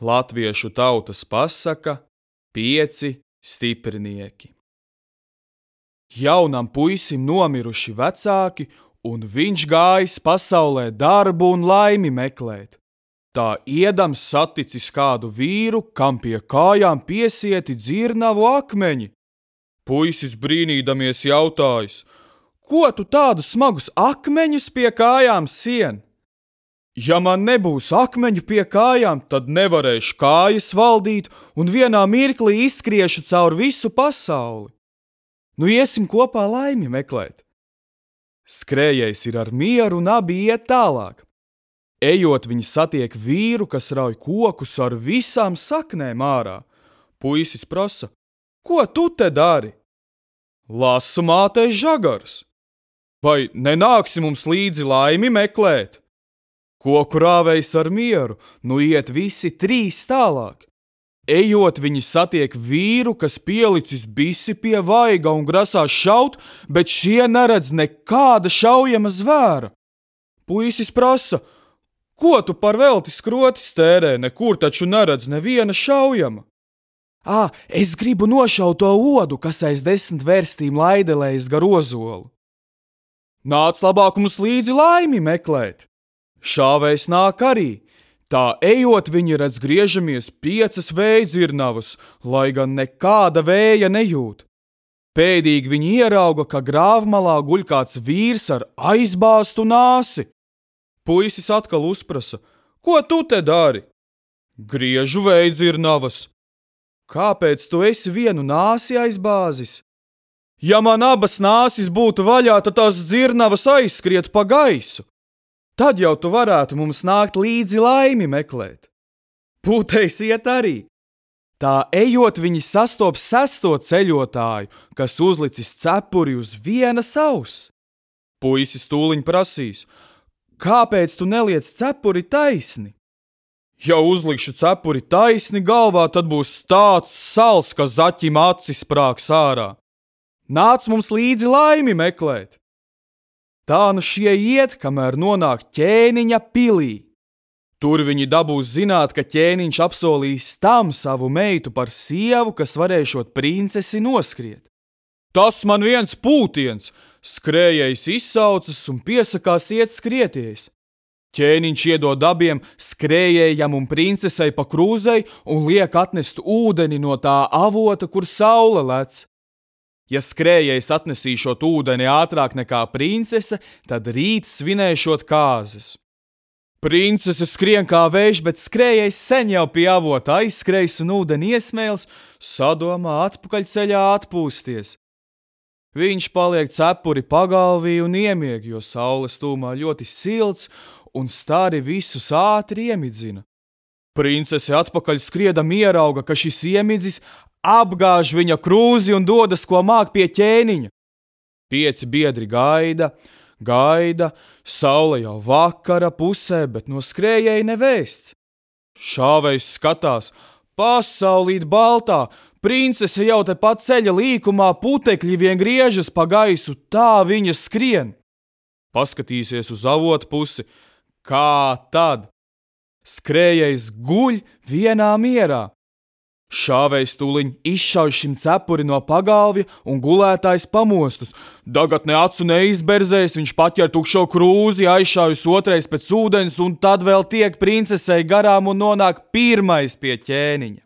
Latviešu tautas pasaka 5 stiprinieki. Jaunam puisim nomiruši vecāki, un viņš gājis pasaulē darbu un laimi meklēt. Tā iedams saticis kādu vīru, kam pie kājām piesieti dzirnavu akmeņi. Puisis brīnīdamies jautājis: ko tu tādus smagus akmeņus pie kājām sien? Ja man nebūs akmeņu pie kājām, tad nevarēšu kājas valdīt un vienā mirklī izskriešu caur visu pasauli. Nu iesim kopā laimi meklēt. Skrējējs ir ar mieru un abi iet tālāk. Ejot, viņi satiek vīru, kas rauj kokus ar visām saknēm ārā. Puisis prasa: ko tu te dari? Lasu mātei žagarus. Vai nenāksi mums līdzi laimi meklēt? Koku rāvējs ar mieru, nu iet visi 3 tālāk. Ejot, viņi satiek vīru, kas pielicis bisi pie vaiga un grasās šaut, bet šie neredz nekāda šaujama zvēra. Puisis prasa: ko tu par velti skrotis tērē, nekur taču neredz neviena šaujama? Es gribu nošaut to odu, kas aiz 10 vērstīm laidelējas gar ozolu. Nāc labāk mums līdzi laimi meklēt. Šāvējs nāk arī. Tā ejot, viņi redz griežamies 5 vējdzirnavas, lai gan nekāda vēja nejūt. Pēdīgi viņi ierauga, ka grāvmalā guļ kāds vīrs ar aizbāztu nāsi. Puisis atkal uzprasa: ko tu te dari? Griežu vējdzirnavas. Kāpēc tu esi vienu nāsi aizbāzis? Ja man abas nāsis būtu vaļā, tad tās dzirnavas aizskriet pa gaisu. Tad jau tu varētu mums nākt līdzi laimi meklēt. Pūtējs iet arī. Tā ejot, viņi sastop 6. ceļotāju, kas uzlicis cepuri uz vienas auss. Puisis tūliņ prasīs: kāpēc tu neliec cepuri taisni? Ja uzlikšu cepuri taisni galvā, tad būs tāds sals, ka zaķim acis sprāgs ārā. Nāc mums līdzi laimi meklēt. Tā nu šie iet, kamēr nonāk ķēniņa pilī. Tur viņi dabūs zināt, ka ķēniņš apsolīs tam savu meitu par sievu, kas varēšot princesi noskriet. Tas man viens pūtiens, skrējējs izsaucas un piesakās iet skrieties. Ķēniņš iedod abiem, skrējējam un princesei pa krūzei, un liek atnest ūdeni no tā avota, kur saule lec. Ja skrējējs atnesīšot ūdeni ātrāk nekā princese, tad rīt svinēšot kāzas. Princese skrien kā vējš, bet skrējējs sen jau pie avota aizskrējs un ūdeni iesmēls, sadomā atpakaļceļā atpūsties. Viņš paliek cepuri pagalvī un iemieg, jo saules tūmā ļoti silts un stari visus ātri iemidzina. Princese atpakaļ skriedam ierauga, ka šis iemidzis apgāž viņa krūzi un dodas, ko māk pie ķēniņa. 5 biedri gaida, saule jau vakara pusē, bet no skrējēja nevēsts. Šāvējs skatās: pasaulīt baltā, princese jau te pat ceļa līkumā, putekļi vien griežas pa gaisu, tā viņa skrien. Paskatīsies uz avotu pusi, kā tad? Skrējējs guļ vienā mierā. Šāvējs tūliņ izšauj šim cepuri no pagalvja un gulētājs pamostus. Dagatne acu neizberzēs, viņš paķer tukšo krūzi, aizšaujas otrais pēc ūdens un tad vēl tiek princesei garām un nonāk pirmais pie ķēniņa.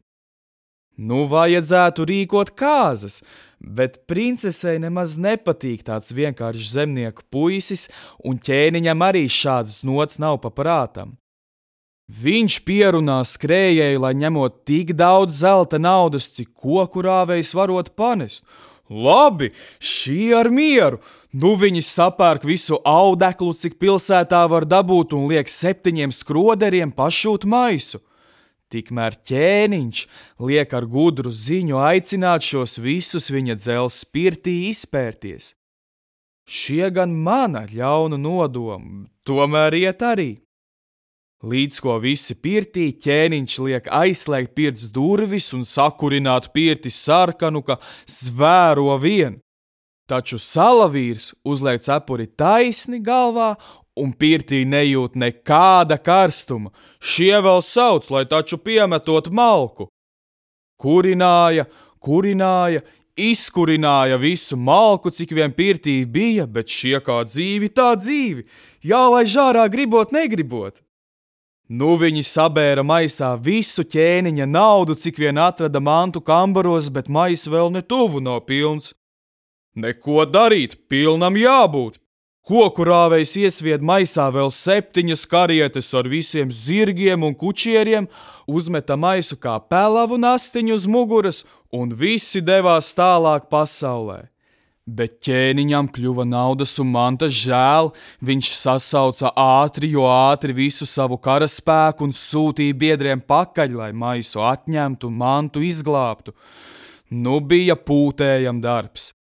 Nu vajadzētu rīkot kāzas, bet princesei nemaz nepatīk tāds vienkāršs zemnieku puisis, un ķēniņam arī šāds nots nav pa prātam. Viņš pierunā skrējēju, lai ņemot tik daudz zelta naudas, cik koku rāvējs varot panest. Labi, šī ar mieru. Nu viņi sapērk visu audeklu, cik pilsētā var dabūt, un liek 7 skroderiem pašūt maisu. Tikmēr ķēniņš liek ar gudru ziņu aicināt šos visus viņa dzelzs pirtī izpērties. Šie gan mana ļaunu nodomu, tomēr iet arī. Līdz ko visi pirtī, ķēniņš liek aizslēgt pirts durvis un sakurināt pirti sarkanu, ka zvēro vien. Taču salavīrs uzliek cepuri taisni galvā un pirtī nejūt nekāda karstuma. Šie vēl sauc, lai taču piemetot malku. Kurināja, izkurināja visu malku, cik vien pirtī bija, bet šie kā dzīvi, tā dzīvi. Jālaiž ārā gribot, negribot. Nu viņi sabēra maisā visu ķēniņa naudu, cik vien atrada mantu kambaros, bet maiss vēl ne tuvu nav pilns. Neko darīt, pilnam jābūt. Koku rāvējs iesvied maisā vēl 7 karietes ar visiem zirgiem un kučieriem, uzmeta maisu kā pelavu nastiņu uz muguras, un visi devās tālāk pasaulē. Bet ķēniņam kļuva naudas un mantas žēl, viņš sasauca ātri, jo ātri visu savu karaspēku un sūtīja biedriem pakaļ, lai maisu atņemtu un mantu izglābtu. Nu bija pūtējam darbs.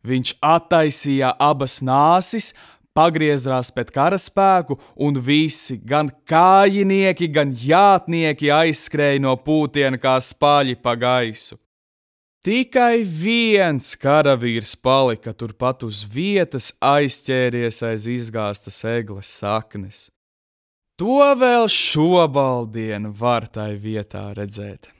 Viņš attaisīja abas nāsis, pagriezās pēc karaspēku, un visi, gan kājinieki, gan jātnieki aizskrēja no pūtiena kā spaļi pa gaisu. Tikai viens karavīrs palika turpat uz vietas, aizķēries aiz izgāstas egles saknes. To vēl šobaldien var tai vietā redzēt.